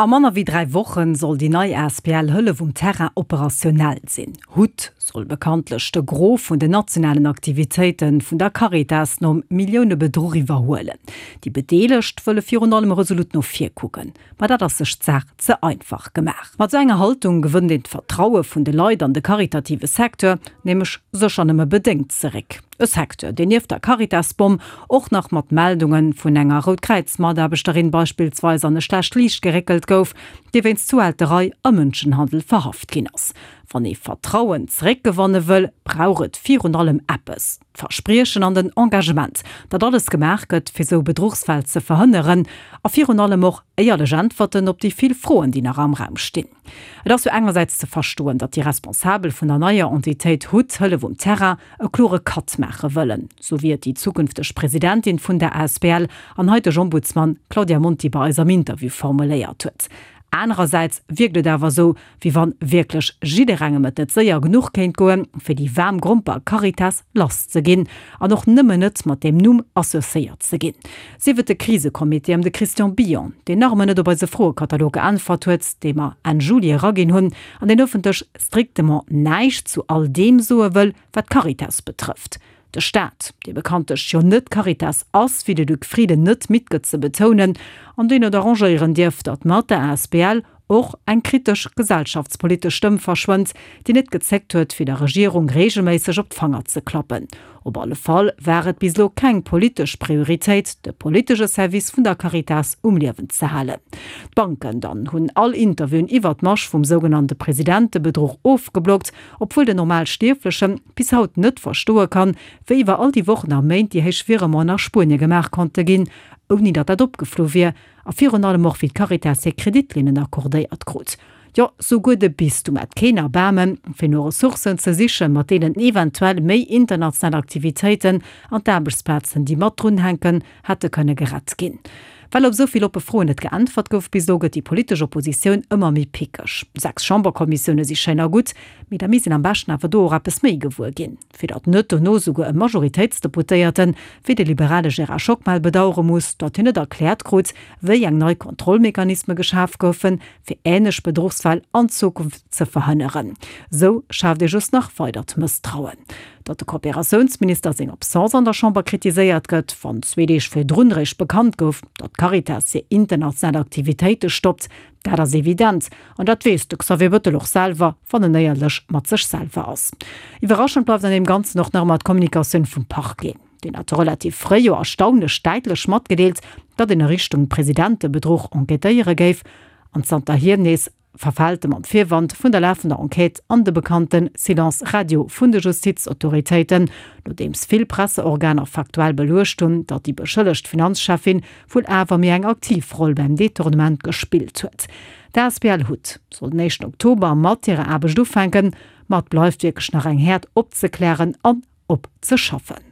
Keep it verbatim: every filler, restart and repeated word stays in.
A manner wéi dräi Woche soll déi nei asbl Hëllef um Terrain operationell sinn. Hut soll bekanntlech de Gros vun den nationalen Aktivitéite vun der Caritas nom Milliounebedruch iwwerhuelen. Déi Bedeelegt wëlle virun allem resolut no vir kucken. Ma dat ass sech d'Saach ze einfach gemaach. Mat esou enger Haltung gewënnt een d'Vertraue vun de Leit an de karitative Secteur nämlech sécher nëmme bedéngt zeréck. E Secteur, deen nieft der Caritas-Bomm och nach mat Meldunge vun enger Rout-Kräiz-Mataarbechterin beispillsweis an e schlecht Liicht geréckelt gouf, déi wéinst Zuhälterei a Mënschenhandel verhaft ginn ass. Wann ee Vertrauen zeréckgewanne wëll, brauch et virun allem eppes, d'Verspriechen an den Engagement, datt alles gemaach gëtt, fir sou Bedruchsfäll ze verhënneren, a virun allem och éierlech Äntwerten op déi vill Froen, déi nach am Raum stinn. Et ass jo engersäits ze verstoen, datt déi Responsabel vun der neier Entitéit hut, Hëllef um Terrain, e klore Cut maache wëllen, sou wéi et déi zukünfteg Presidentin vun der asbl an haiteg Ombudsman Claudia Monti bei eis am Interview formuléiert huet. Anerersäits wierkt et awer esou, wéi wann wierklech jidderengem et net séier genuch kéint goen, fir déi waarm Gromper Caritas lass ze ginn an och nëmmen net mat deem Numm associéiert ze ginn. Sief et de Krisecomité ëm de Christian Billon, deen nach ëmmer net op eise Froekatalog geäntwert huet, dee mer Enn Juli eraginn hunn, an deen ëffentlech strictement näischt zu all deem soe wëll, wat d'Caritas betrëfft. De Staat, dee bekanntlech jo net d'Caritas ass, wéi de Luc Frieden net midd gëtt ze betounen, an deen et arrangéieren dierf, datt mat der asbl och eng kritesch gesellschaftspolitesch Stëmm verschwënnt, déi net gezéckt huet, fir der Regierung reegelméisseg op d'Fanger ze klappen. Op alle Fall war et bis elo keng politesch Prioritéit, de politesche Service vun der Caritas um Liewen ze halen. D'Banken dann hunn all Interviewen iwwert d'Masch vum sougenannte Presidentebedruch ofgeblockt, obwuel den Normalstierfleche bis haut net verstoe kann, wéi iwwer all déi Wochen a Méint déi héich Virementen a Spuenie gemaach konnte ginn, ouni datt dat opgeflu wier, a virun allem och wéi d'Caritas hir Kreditlinnen accordéiert krut. Jo, souguer de Bistum hat keen Erbaarmen, fir no Ressourcen ze sichen, mat deenen eventuell méi international Aktivitéiten an d'Aarbechtsplazen, déi mat drun hänken, hätte kënne gerett ginn. Well op esou vill oppe Froen net geäntwert gouf bis elo, gëtt déi politesch Oppositioun ëmmer méi pickeg. Sechs Chamberkommissioune si schéin a gutt, mee da misst een am beschten awer do och eppes méi gewuer ginn, fir datt net dono souguer e Majoritéitsdeputéierten, wéi de liberale Gérard Schockmel bedauere muss, datt hien net erkläert krut, wéi eng nei Kontrollmechanisme geschaf goufen, fir änlech Bedruchsfäll an Zukunft ze verhënneren. Esou schaaft ee just nach weidert Mësstrauen. Datt de Kooperatiounsminister seng Absence an der Chamber kritiséiert gëtt, wann zwee Deeg virdrun eréischt bekannt gouf, datt d'Caritas hir international Aktivitéite stoppt, dat ass evident. An dat weess de Xavier Bettel och selwer, wann en éierlech mat sech selwer ass. Iwwerraschend bleift an deem Ganzen och nach ëmmer d'Kommunikatioun vum Parquet. Deen hat relativ fréi jo erstaunlech däitlech matgedeelt, datt een a Richtung Presidentebedruch enquêtéiere géif, an zanterhier nees verfält e mam Virwand vun der lafender Enquête an de bekannte Silence radio vun de Justizautoritéiten, nodeems vill Presseorganer faktuell beluecht hunn, datt déi beschëllegt Finanzcheffin wuel awer méi eng aktiv Roll beim Detournement gespillt huet. D'asbl hut soll den éischten Oktober mat hirer Aarbecht ufänken, ma et bleift wierklech nach eng Häerd opzeklären an opzeschaffen.